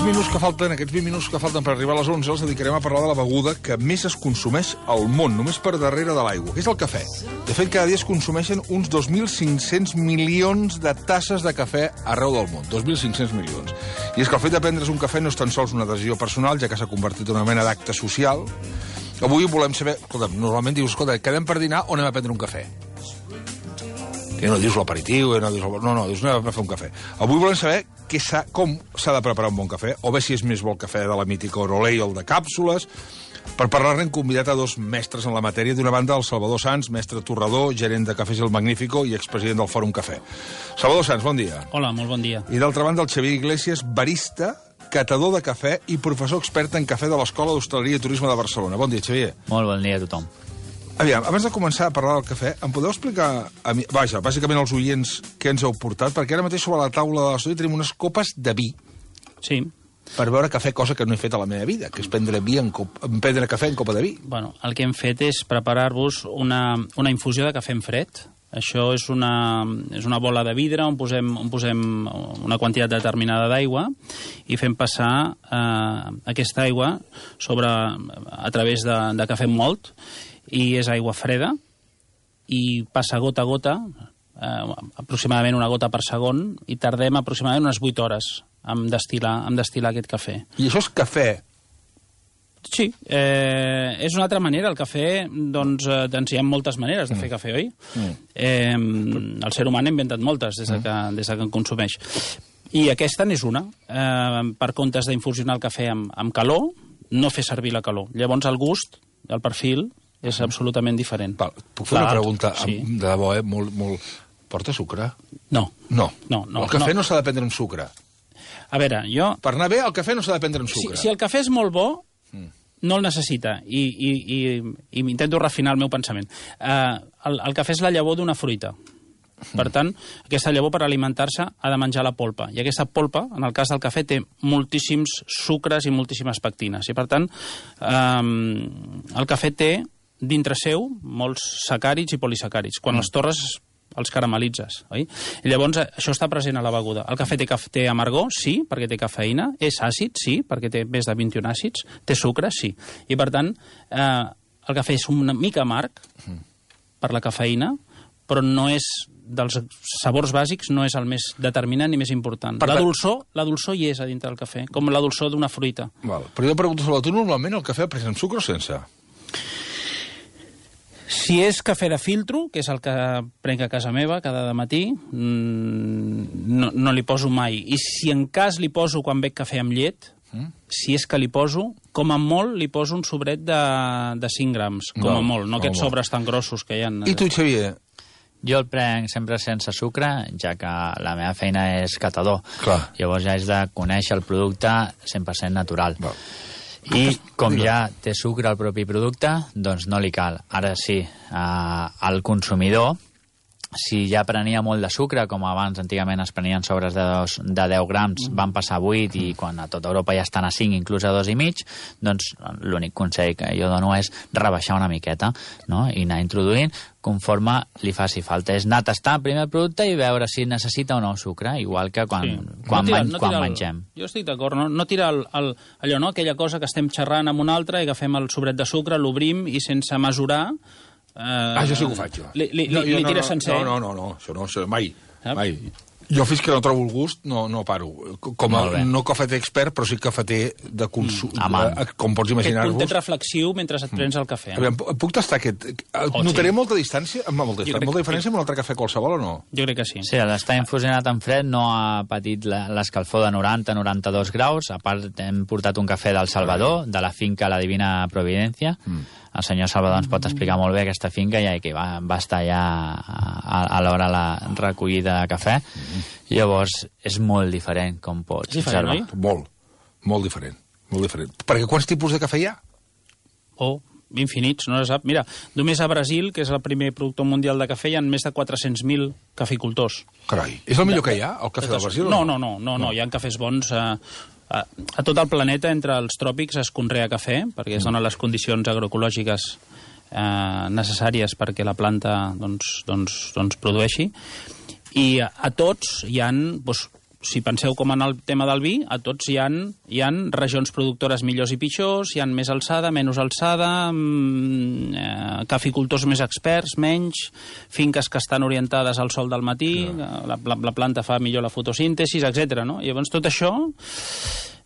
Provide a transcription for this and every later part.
Aquests 20 minuts que falten per arribar a les 11 els dedicarem a parlar de la beguda que més es consumeix al món, només per darrere de l'aigua, que és el cafè. De fet, cada dia es consumeixen uns 2.500 milions de tasses de cafè arreu del món. 2.500 milions. I és que el fet de prendre's un cafè no és tan sols una decisió personal, ja que s'ha convertit en una mena d'acte social. Avui volem saber... Escolta'm, normalment dius, escolta, quedem per dinar o anem a prendre un cafè? Que no dius l'aperitiu, no, dius anem a fer un cafè. Avui volem saber com s'ha de preparar un bon cafè, o bé si és més bo el cafè de la mítica Orolei o el de càpsules. Per parlar-ne hem convidat a dos mestres en la matèria. D'una banda, el Salvador Sans, mestre torrador, gerent de Cafès El Magnífico i expresident del Fòrum Cafè. Salvador Sans, bon dia. Hola, molt bon dia. I d'altra banda, el Xavier Iglesias, barista, catador de cafè i professor expert en cafè de l'Escola d'Hostaleria i Turisme de Barcelona. Bon dia, Xavier. Molt bon dia a tothom. Aviam, abans de començar a parlar del cafè, em podeu explicar, bàsicament als oients, què ens heu portat? Perquè ara mateix sobre la taula de l'estudi tenim unes copes de vi. Sí. Per beure cafè, cosa que no he fet a la meva vida, que és prendre cafè en copa de vi. Bueno, el que hem fet és preparar-vos una infusió de cafè en fred. Això és una bola de vidre on posem una quantitat determinada d'aigua i fem passar aquesta aigua a través de cafè molt, i és aigua freda i passa gota a gota, aproximadament una gota per segon, i tardem aproximadament unes 8 hores en destil·lar aquest cafè. I això és cafè? Sí, és una altra manera. El cafè, doncs hi ha moltes maneres de fer cafè, oi? El ser humà n'ha inventat moltes des que en consumeix. I aquesta n'és una. Per comptes d'infusionar el cafè amb calor, no fer servir la calor. Llavors el gust, el perfil, és absolutament diferent. Puc fer una pregunta? Sí. De debò, molt... Porta sucre? No. No. El cafè no s'ha de prendre amb sucre. A veure, jo... Per anar bé, el cafè no s'ha de prendre amb sucre. Si el cafè és molt bo, no el necessita. I intento refinar el meu pensament. El cafè és la llavor d'una fruita. Per tant, aquesta llavor per alimentar-se ha de menjar la polpa. I aquesta polpa, en el cas del cafè, té moltíssims sucres i moltíssimes pectines. I per tant, el cafè té dintre seu molts sacàrids i polisacàrids. Quan els torres els caramelitzes, oi? I llavors això està present a la beguda. El cafè té amargor, sí, perquè té cafeïna. És àcid, sí, perquè té més de 21 àcids. Té sucre, sí. I per tant, el cafè és una mica amarg per la cafeïna, però no és dels sabors bàsics, no és el més determinant ni més important. La dolçor hi és a dintre del cafè, com la dolçor d'una fruita. Val. Però jo pregunto sobre tu, normalment el cafè pres amb sucre o sense? Si és cafè de filtro, que és el que prenc a casa meva cada matí, no li poso mai. I si en cas li poso quan bec cafè amb llet, si és que li poso, com a molt li poso un sobret de 5 grams, com a molt, no aquests sobres tan grossos que hi ha. I tu, Xavier? Jo el prenc sempre sense sucre, ja que la meva feina és catador. Clar. Llavors ja és de conèixer el producte 100% natural. Val. I com ja té sucre el propi producte, doncs no li cal. Ara sí, el consumidor, si ja prenia molt de sucre, com abans antigament es prenien sobres de 10 grams, van passar a 8 i quan a tota Europa ja estan a 5, inclús a 2,5, doncs l'únic consell que jo dono és rebaixar una miqueta, no? I anar introduint conforme li faci falta. És anar a tastar primer el producte i veure si necessita o no sucre, igual que quan mengem. Jo estic d'acord, no tirar allò, no? Aquella cosa que estem xerrant amb una altra i agafem el sobret de sucre, l'obrim i sense mesurar... jo sí que ho faig, jo. Li tires sencer? No, això no, mai. Jo fins que no trobo el gust no paro. Com no cafeter expert, però sí cafeter de consum, com pots imaginar-vos. Aquest puntet reflexiu mentre et prens el cafè. Puc tastar aquest? Notaré molta distància? Molta diferència amb un altre cafè qualsevol o no? Jo crec que sí. Sí, l'està infusionat en fred, no ha patit l'escalfor de 90-92 graus. A part, hem portat un cafè del Salvador, de la finca La Divina Providència. El senyor Salvador ens pot explicar molt bé aquesta finca, ja que va estar ja a l'hora la recollida de cafè. Llavors, és molt diferent, com pots observar. Molt diferent. Perquè quants tipus de cafè hi ha? Infinits, no se sap. Mira, només a Brasil, que és el primer productor mundial de cafè, hi ha més de 400.000 caficultors. Carai, és el millor que hi ha, el cafè del Brasil? No, hi ha cafès bons... A tot el planeta, entre els tròpics, es conrea cafè, perquè es donen les condicions agroecològiques necessàries perquè la planta produeixi. I a tots hi ha si penseu com en el tema del vi, a tots hi ha regions productores millors i pitjors, hi ha més alçada, menys alçada, caficultors més experts, menys, finques que estan orientades al sol del matí, la planta fa millor la fotosíntesi, etc. No? I llavors tot això,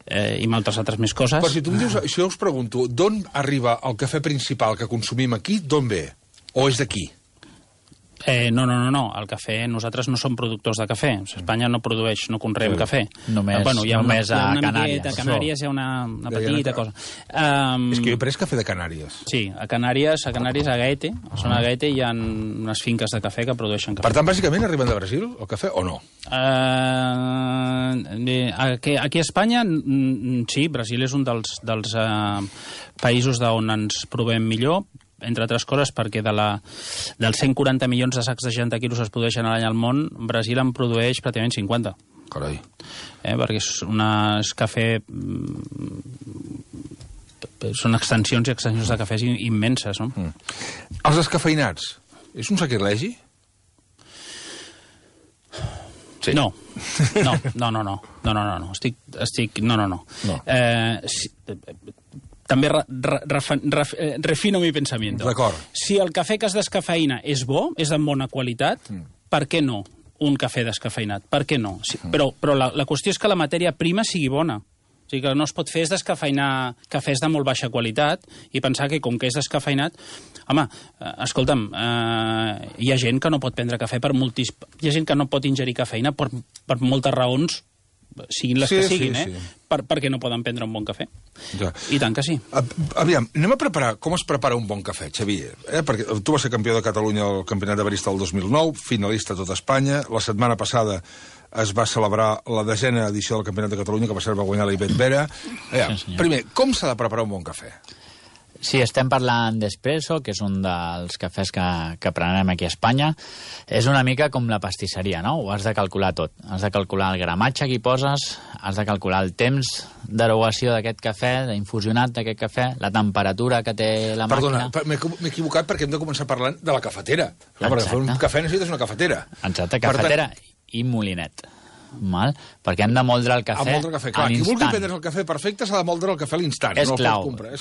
i moltes altres més coses... Però si tu em dius, si jo us pregunto, d'on arriba el cafè principal que consumim aquí, d'on ve? O és d'aquí? No. El cafè, nosaltres no som productors de cafè. Espanya no produeix, no conreem cafè. Només a Canàries. A Canàries hi ha una petita cosa. És que jo he pres cafè de Canàries. Sí, a Canàries, a Gaete, a zona de Gaete, hi ha unes finques de cafè que produeixen cafè. Per tant, bàsicament, arriben de Brasil, el cafè, o no? Aquí a Espanya, sí, Brasil és un dels països d'on ens provem millor, entre altres coses, perquè dels 140 milions de sacs de 60 quilos es produeixen a l'any al món, Brasil en produeix pràcticament 50. Carai. Perquè és cafè... Són extensions i extensions de cafès immenses, no? Els descafeinats, és un sacrilegi? Sí. No. Estic... No. També refino mi pensamiento. D'acord. Si el cafè que es descafeïna és bo, és de bona qualitat, per què no un cafè descafeïnat? Per què no? Però la qüestió és que la matèria prima sigui bona. O sigui, que no es pot fer és descafeïnar cafès de molt baixa qualitat i pensar que com que és descafeïnat... Home, escolta'm, hi ha gent que no pot prendre cafè hi ha gent que no pot ingerir cafeïna per moltes raons, siguin les que siguin, sí. Perquè no poden prendre un bon cafè. Ja. I tant que sí. Aviam, anem a preparar com es prepara un bon cafè, Xavier. Perquè tu vas ser campió de Catalunya al Campionat de Barista del 2009, finalista a tot Espanya. La setmana passada es va celebrar la 10ª edició del Campionat de Catalunya, que va ser va guanyar la Ivet Vera. Primer, com s'ha de preparar un bon cafè? Sí, estem parlant d'espresso, que és un dels cafès que prenem aquí a Espanya. És una mica com la pastisseria, no? Ho has de calcular tot. Has de calcular el gramatge que hi poses, has de calcular el temps d'erogació d'aquest cafè, d'infusionat d'aquest cafè, la temperatura que té la màquina... Perdona, m'he equivocat perquè hem de començar parlant de la cafetera. Perquè fer un cafè necessites una cafetera. Exacte, cafetera i molinet. Perquè hem de moldre el cafè a l'instant. Qui vulgui prendre el cafè perfecte s'ha de moldre el cafè a l'instant. És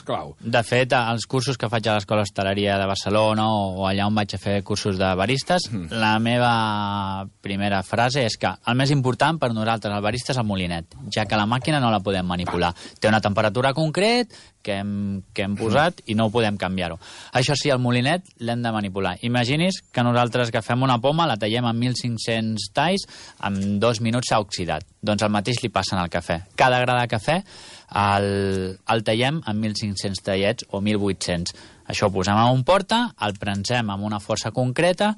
clau. De fet, els cursos que faig a l'Escola Hostaleria de Barcelona o allà on vaig a fer cursos de baristes, la meva primera frase és que el més important per nosaltres, el barista, és el molinet, ja que la màquina no la podem manipular. Té una temperatura concret que hem posat i no podem canviar-ho. Això sí, el molinet l'hem de manipular. Imagini's que nosaltres agafem una poma, la tallem en 1.500 talls, en 2 minuts s'ha oxidat. Doncs el mateix li passa al cafè. Cada gra de cafè el tallem en 1.500 tallets o 1.800. Això ho posem en un porta, el prensem amb una força concreta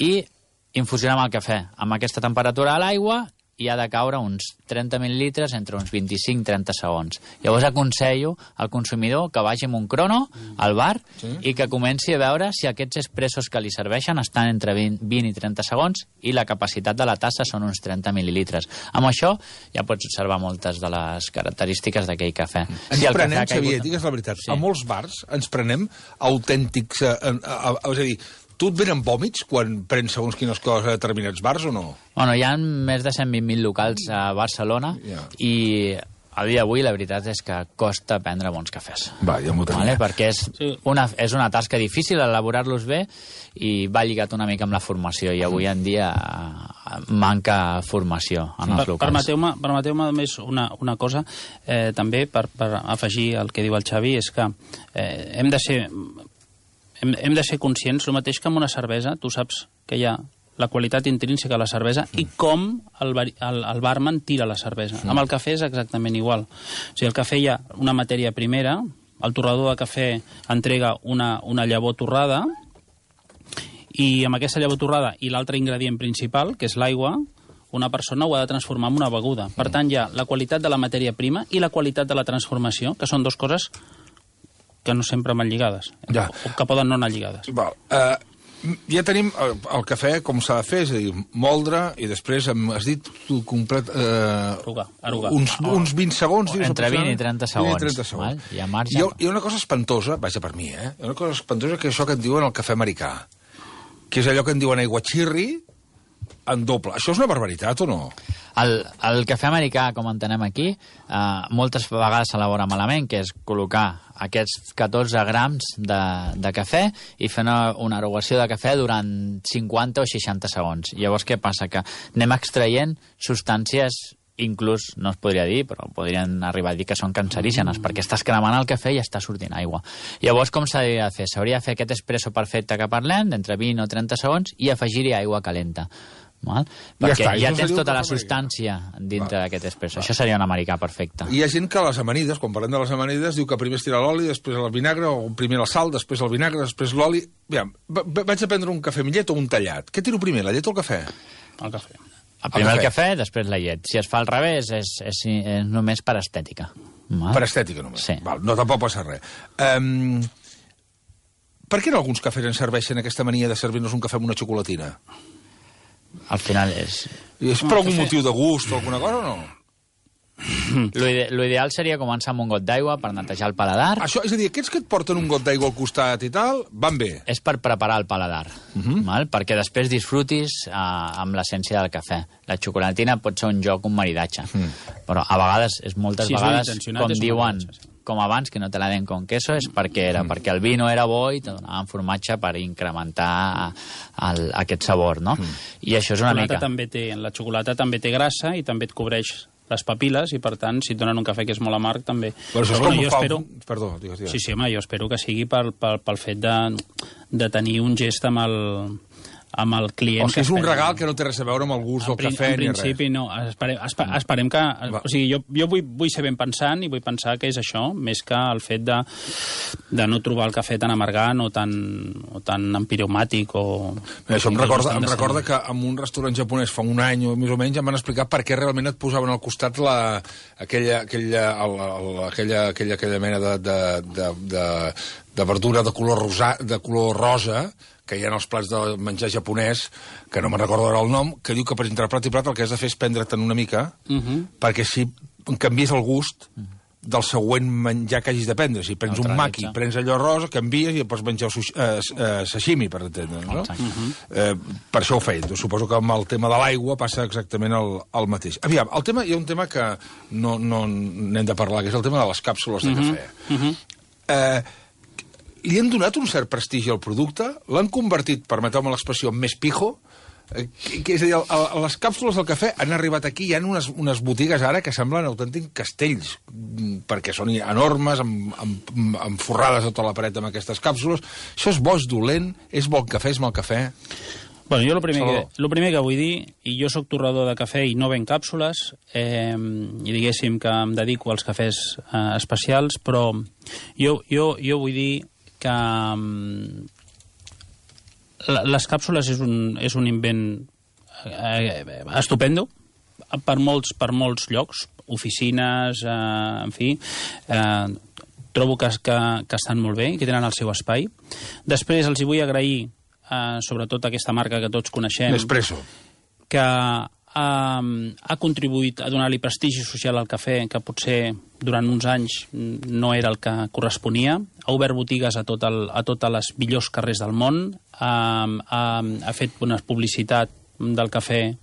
i infusionem el cafè amb aquesta temperatura a l'aigua i ha de caure uns 30 mil·lilitres entre uns 25-30 segons. Llavors aconsello al consumidor que vagi amb un crono al bar i que comenci a veure si aquests expressos que li serveixen estan entre 20 i 30 segons i la capacitat de la tassa són uns 30 mil·lilitres. Amb això ja pots observar moltes de les característiques d'aquell cafè. Ens prenem, Xavier, digues la veritat, a molts bars ens prenem autèntics... És a dir, tu et venen vòmits quan prens segons quines coses a determinats bars o no? Bueno, hi ha més de 120.000 locals a Barcelona i a dia d'avui la veritat és que costa prendre bons cafès. Va, ja m'ho tenia. Perquè és una tasca difícil elaborar-los bé i va lligat una mica amb la formació i avui en dia manca formació en els locals. Permeteu-me més una cosa, també per afegir el que diu el Xavi, és que hem de ser conscients, el mateix que amb una cervesa, tu saps que hi ha la qualitat intrínseca de la cervesa i com el barman tira la cervesa. Amb el cafè és exactament igual. O sigui, el cafè hi ha una matèria primera, el torrador de cafè entrega una llavor torrada i amb aquesta llavor torrada i l'altre ingredient principal, que és l'aigua, una persona ho ha de transformar en una beguda. Per tant, hi ha la qualitat de la matèria prima i la qualitat de la transformació, que són dues coses que no sempre van lligades, o que poden no anar lligades. Ja tenim el cafè com s'ha de fer, és a dir, moldre, i després has dit complet... Erugar. Uns 20 segons, dius? Entre 20 i 30 segons. Hi ha una cosa espantosa, vaja per mi, hi ha una cosa espantosa que és això que et diuen el cafè americà, que és allò que en diuen aiguachirri, en doble. Això és una barbaritat o no? El cafè americà, com entenem aquí, moltes vegades s'elabora malament, que és col·locar aquests 14 grams de cafè i fer una erogació de cafè durant 50 o 60 segons. Llavors, què passa? Que anem extraient substàncies, inclús, no es podria dir, però podrien arribar a dir que són cancerígenes, perquè estàs cremant el cafè i està sortint aigua. Llavors, com s'hauria de fer? S'hauria de fer aquest espresso perfecte que parlem, d'entre 20 o 30 segons, i afegir-hi aigua calenta. Val? Perquè ja tens tota la substància dintre d'aquest espresso. Això seria un americà perfecte. Hi ha gent que a les amanides, quan parlem de les amanides, diu que primer es tira l'oli, després el vinagre, o primer la sal, després el vinagre, després l'oli. Vaig a prendre un cafè amb llet o un tallat. Què tiro primer, la llet o el cafè? El cafè. Primer el cafè, després la llet. Si es fa al revés, és només per estètica. Val? Per estètica només? Sí. Val, no, tampoc passa res. Per què en alguns cafès ens serveixen aquesta mania de servir-nos un cafè amb una xocolatina? Al final és... És per algun motiu de gust o alguna cosa o no? L'ideal seria començar amb un got d'aigua per netejar el paladar. Això, és a dir, aquests que et porten un got d'aigua al costat i tal, van bé. És per preparar el paladar, val? Perquè després disfrutis amb l'essència del cafè. La xocolatina pot ser un joc, un maridatge, però a vegades, moltes vegades, com diuen, com abans, que no te la den con queso, és perquè el vi no era bo i te donaven formatge per incrementar aquest sabor, no? I això és una mica... La xocolata també té grassa i també et cobreix les papil·les i, per tant, si et donen un cafè que és molt amarg, també... Però això és com fa... Perdó, digues. Sí, home, jo espero que sigui pel fet de tenir un gest amb el client. O sigui, és un regal que no té res a veure amb el gust del cafè ni res. En principi, no. Esperem que... O sigui, jo vull ser ben pensant i vull pensar que és això, més que el fet de no trobar el cafè tan amargant o tan empiromàtic o... Això em recorda que en un restaurant japonès fa un any o més o menys em van explicar per què realment et posaven al costat aquella mena de verdura de color rosa que hi ha en els plats de menjar japonès, que no me'n recordo ara el nom, que diu que per entre plat i plat el que has de fer és prendre-te'n una mica, perquè si canvies el gust del següent menjar que hagis de prendre. Si prens un maki, prens allò rosa, canvies i pots menjar sashimi, per entendre, no? Per això ho feien. Suposo que amb el tema de l'aigua passa exactament el mateix. Aviam, hi ha un tema que no n'hem de parlar, que és el tema de les càpsules de cafè. Li han donat un cert prestigi al producte? L'han convertit, permeteu-me l'expressió, més pijo? És a dir, les càpsules del cafè han arribat aquí, hi ha unes botigues ara que semblen autèntics castells, perquè són enormes, amb forrades a tota la paret amb aquestes càpsules. Això és bo, és dolent, és bon cafè, és mal cafè? Bueno, jo el primer que vull dir, i jo sóc torrador de cafè i no ven càpsules, i diguéssim que em dedico als cafès especials, però jo vull dir que les càpsules és un invent estupendo per molts llocs, oficines, en fi, trobo que estan molt bé i que tenen el seu espai. Després els hi vull agrair sobretot aquesta marca que tots coneixem, Nespresso, que ha contribuït a donar-li prestigi social al cafè, que potser durant uns anys no era el que corresponia. Ha obert botigues a totes les millors carrers del món, ha fet una publicitat del cafè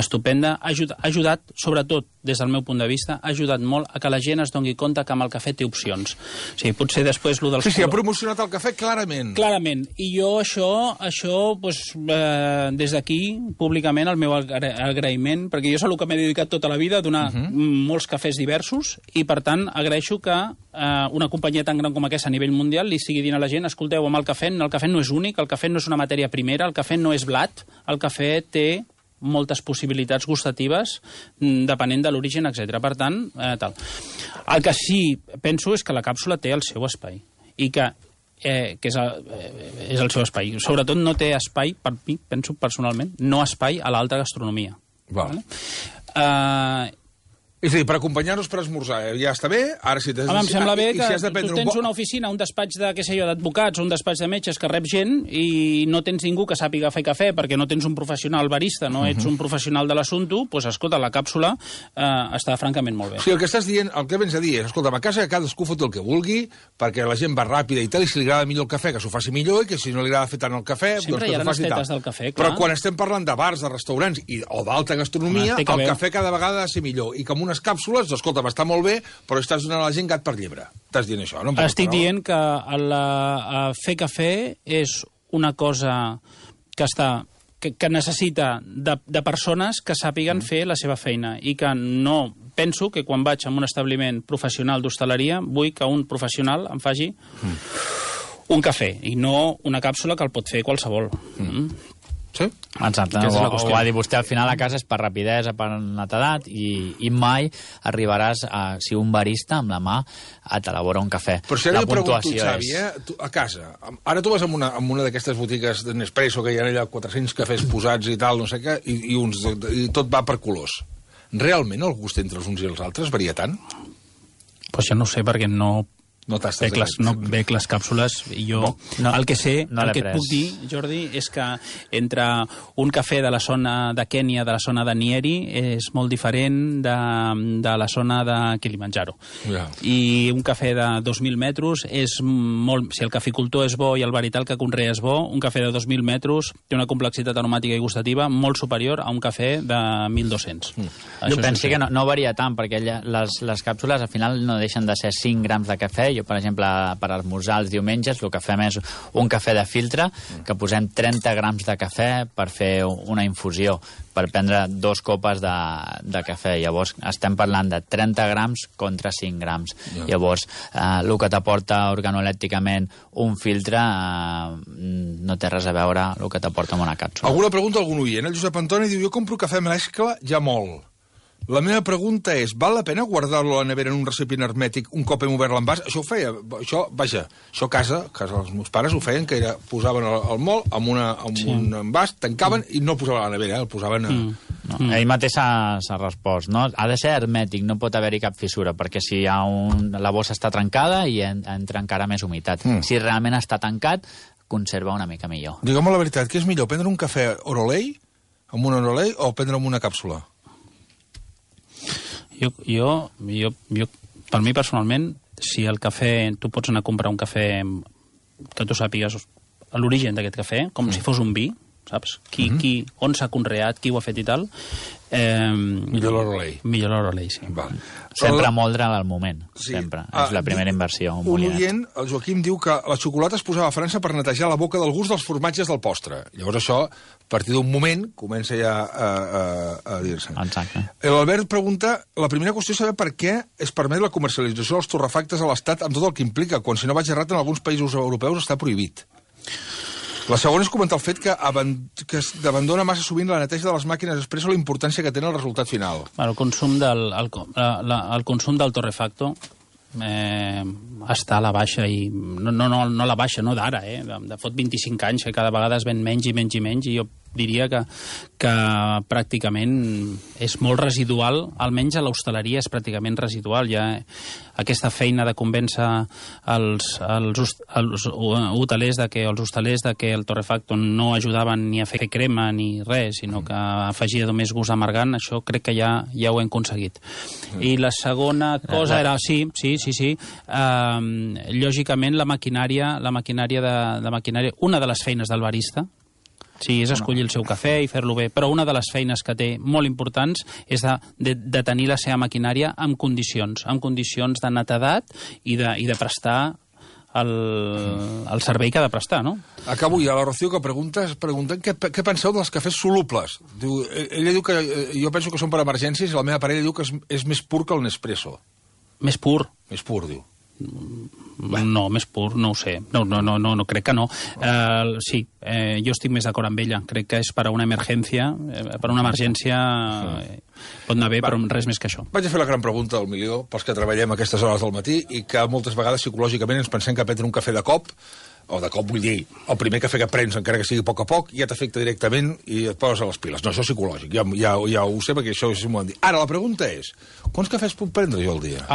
estupenda, ha ajudat, sobretot des del meu punt de vista, ha ajudat molt a que la gent es doni compte que amb el cafè té opcions. O sigui, potser després lo dels... Sí, ha promocionat el cafè clarament. Clarament. I jo això pues, des d'aquí, públicament, el meu agraïment, perquè jo és el que m'he dedicat tota la vida, a donar molts cafès diversos, i per tant agraeixo que una companyia tan gran com aquesta a nivell mundial li estigui dient a la gent, escolteu, amb el cafè no és únic, el cafè no és una matèria primera, el cafè no és blat, el cafè té moltes possibilitats gustatives depenent de l'origen, etc. Per tant, tal. El que sí penso és que la càpsula té el seu espai i que és el seu espai. Sobretot no té espai, per mi, penso personalment, no espai a l'alta gastronomia. Vale. És a dir, per acompanyar-nos per esmorzar, ja està bé, ara si t'has... Home, em sembla bé que si tu tens una oficina, un despatx de, què sé jo, d'advocats, un despatx de metges que rep gent i no tens ningú que sàpiga fer cafè perquè no tens un professional barista, no ets un professional de l'assumpte, doncs, escolta, la càpsula està francament molt bé. Sí, el que estàs dient, el que vens a dir és, escolta, a casa cadascú fot el que vulgui, perquè la gent va ràpida i tal, i si li agrada millor el cafè, que s'ho faci millor, i que si no li agrada fer tant el cafè, sempre doncs que s'ho faci tal. Del cafè, clar. Però quan estem parlant de bars, de restaurants o d'alta gastronomia, el cafè cada vegada ha de ser millor. I que amb unes càpsules, escolta, està molt bé, però estàs donant a la gent gat per llebre. Estàs dient això, no? Estic dient que fer cafè és una cosa que necessita de persones que sàpiguen fer la seva feina i que no penso que quan vaig a un establiment professional d'hostaleria vull que un professional em faci un cafè i no una càpsula que el pot fer qualsevol. Sí? Exacte, ho va dir vostè, al final a casa és per rapidesa, per netedat i mai arribaràs si un barista amb la mà t'elabora un cafè. Però si ara jo pregunto, Xavi, a casa, ara tu vas en una d'aquestes botigues de Nespresso que hi ha allà 400 cafès posats i tal, no sé què, i tot va per colors. Realment el gust entre els uns i els altres varia tant? Pues jo no ho sé, perquè no bec les càpsules i jo el que sé, el que et puc dir, Jordi, és que entre un cafè de la zona de Kènia, de la zona de Nyeri, és molt diferent de la zona de Kilimanjaro. I un cafè de 2.000 metres és molt... Si el caficultor és bo i el verital que conrea és bo, un cafè de 2.000 metres té una complexitat aromàtica i gustativa molt superior a un cafè de 1.200. Jo penso que no varia tant, perquè les càpsules al final no deixen de ser 5 grams de cafè. Jo, per exemple, per esmorzar els diumenges, el que fem és un cafè de filtre, que posem 30 grams de cafè per fer una infusió, per prendre 2 copes de cafè. Llavors, estem parlant de 30 grams contra 5 grams. Llavors, el que t'aporta organolèpticament un filtre no té res a veure el que t'aporta amb una càpsula. Alguna pregunta a algun oient? El Josep Antoni diu, jo compro cafè mescla ja molt. La meva pregunta és, val la pena guardar-lo a la nevera en un recipient hermètic un cop hem obert l'envàs? Això ho feia, això a casa els meus pares ho feien, que posaven el mol amb un envàs, tancaven i no el posaven a la nevera, el posaven a... Ell mateix s'ha respost, no? Ha de ser hermètic, no pot haver-hi cap fissura, perquè si la bossa està trencada i entra encara més humitat. Si realment està tancat, conserva una mica millor. Digue'm la veritat, què és millor, prendre un cafè Orolei, amb un Orolei, o prendre amb una càpsula? Jo, per mi personalment, si el cafè, tu pots anar a comprar un cafè que tu sàpigues l'origen d'aquest cafè, com si fos un vi, saps? On s'ha conreat, qui ho ha fet i tal. Millor l'Orolei. Millor l'Orolei, sí. Sempre moldre al moment, sempre. És la primera inversió. Un oient, el Joaquim, diu que la xocolata es posava a França per netejar la boca del gust dels formatges del postre. Llavors això, a partir d'un moment, comença ja a dir-se. Exacte. L'Albert pregunta, la primera qüestió és saber per què es permet la comercialització dels torrefactes a l'Estat amb tot el que implica, quan, si no vaig errat, en alguns països europeus està prohibit. La segona és comentar el fet que abandona massa sovint la neteja de les màquines expresso la importància que té el resultat final. El consum del torrefacto està a la baixa i no la baixa, no d'ara, de fot 25 anys que cada vegada es ven menys i menys i menys i jo diria que pràcticament és molt residual, almenys a l'hostaleria és pràcticament residual. Hi ha aquesta feina de convèncer els hotelers de que el torrefacto no ajudaven ni a fer crema ni res, sinó que afegia només gust amargant, això crec que ja ho hem aconseguit. I la segona cosa era, sí, lògicament la maquinària, una de les feines del barista, sí, és escollir el seu cafè i fer-lo bé, però una de les feines que té molt importants és de tenir la seva maquinària en condicions de netedat i de prestar el servei que ha de prestar, no? Acabo ja, la Rocío, que pregunten què penseu dels cafès solubles. Ella diu que jo penso que són per emergències i la meva parella diu que és més pur que el Nespresso. Més pur? Més pur, diu. No, més pur, no ho sé. No, crec que no. Sí, jo estic més d'acord amb ella. Crec que és per a una emergència, pot anar bé, però res més que això. Vaig a fer la gran pregunta del milió pels que treballem a aquestes hores del matí i que moltes vegades psicològicament ens pensem que prendre un cafè de cop o de cop vull dir, el primer cafè que prens, encara que sigui a poc, ja t'afecta directament i et poses a les piles. No, això és psicològic, ja ho sé, perquè això m'ho han dit. Ara, la pregunta és, quants cafès puc prendre jo al dia?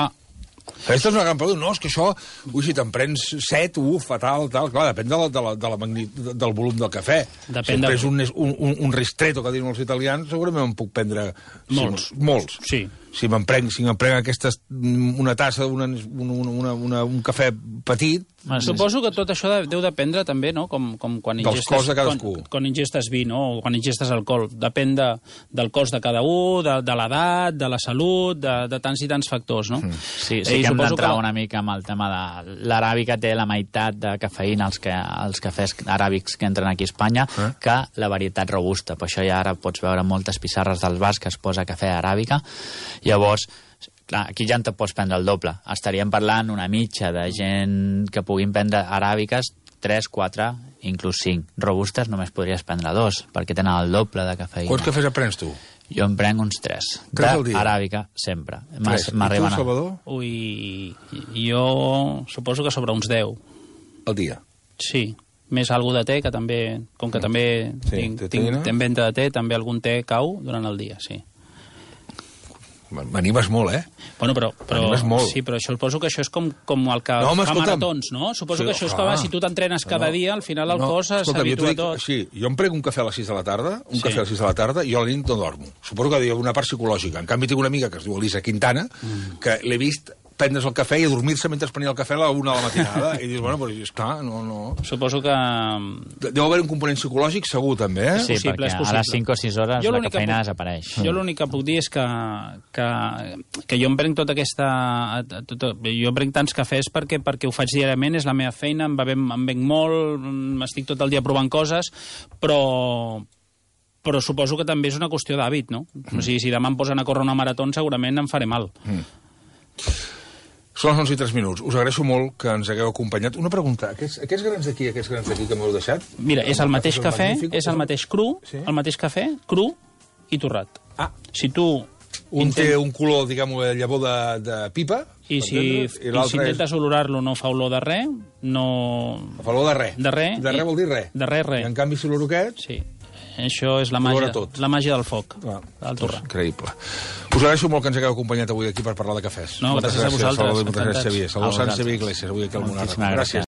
Aquesta és una gran pregunta. No, és que això, si te'n prens 7, fatal, tal. Clar, depèn del volum del cafè. Si em prens un ristretto, que diuen els italians, segurament em puc prendre... Molts. Sí. Si me'n prenc una tassa, un cafè petit... Suposo que tot això deu dependre també, no?, com quan dels cos de cadascú. Quan ingestes vi, no?, o quan ingestes alcohol. Depèn del cos de cada un, de l'edat, de la salut, de tants i tants factors, no? Sí que hem d'entrar una mica amb el tema de... L'aràbica té la meitat de cafeïna, els cafès aràbics que entren aquí a Espanya, que la varietat robusta. Per això ja ara pots veure moltes pissarres dels bars que es posa cafè aràbica. Llavors, clar, aquí ja en te pots prendre el doble. Estaríem parlant una mitja de gent que puguin prendre aràbiques, 3, 4, inclús 5. Robustes només podries prendre 2, perquè tenen el doble de cafeïna. Quants cafès prens tu? Jo em prenc uns 3. 3 al dia? Aràbica, sempre. 3. I tu, Salvador? Ui, jo suposo que sobre uns 10. Al dia? Sí. Més algú de te, que també, com que també tinc venda de te, també algun te cau durant el dia, sí. M'animes molt, eh? Bueno, però molt. Sí, però això suposo que això és com el que fa maratons, no? Suposo que això és com si tu t'entrenes cada dia, al final el cos s'habitua a tot. Sí, jo em prenc un cafè a les 6 de la tarda, cafè a les 6 de la tarda, i jo a la nit no dormo. Suposo que hi ha una part psicològica. En canvi, tinc una amiga que es diu Elisa Quintana, que l'he vist prendre's el cafè i adormir-se mentre prenia el cafè a la 1 de la matinada. I dius, bueno, però esclar, no... Suposo que... Deu haver un component psicològic segur, també, eh? Sí, perquè a les 5 o 6 hores la cafeïna desapareix. Jo l'únic que puc dir és que jo em prenc tota aquesta... Jo em prenc tants cafès perquè ho faig diàriament, és la meva feina, em venc molt, m'estic tot el dia provant coses, però suposo que també és una qüestió d'hàbit, no? O sigui, si demà em posen a córrer una marató, segurament em faré mal. Són les 11:03. Us agraeixo molt que ens hagueu acompanyat. Una pregunta, aquests grans d'aquí que m'heu deixat? Mira, és el mateix cafè, és el mateix cru, el mateix cafè, cru i torrat. Si tu... Un té un color, diguem-ho, llavor de pipa, i si intentes olorar-lo no fa olor de res, no... Fa olor de res. De res. De res vol dir res. De res. I en canvi si oloro aquest... Sí. Això és la màgia del foc, del torrat. Increïble. Us agraeixo molt que ens hagueu acompanyat avui aquí per parlar de cafès. No, gràcies a vosaltres. Moltes gràcies, Xavier. Salvador Sanz, Xavier Iglesias, avui aquí al Monarca. Gràcies.